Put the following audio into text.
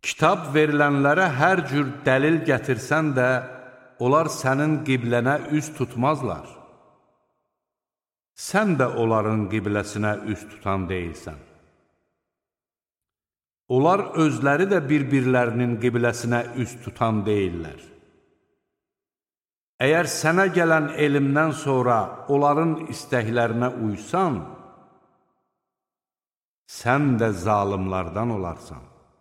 Kitab verilənlərə hər cür dəlil gətirsən də, onlar sənin qiblənə üz tutmazlar. Sən də onların qibləsinə üz tutan deyilsən. Onlar özləri də bir-birlərinin qibləsinə üz tutan deyillər. Əgər sənə gələn elmdən sonra onların istəklərinə uysan, sən də zalimlardan olarsan.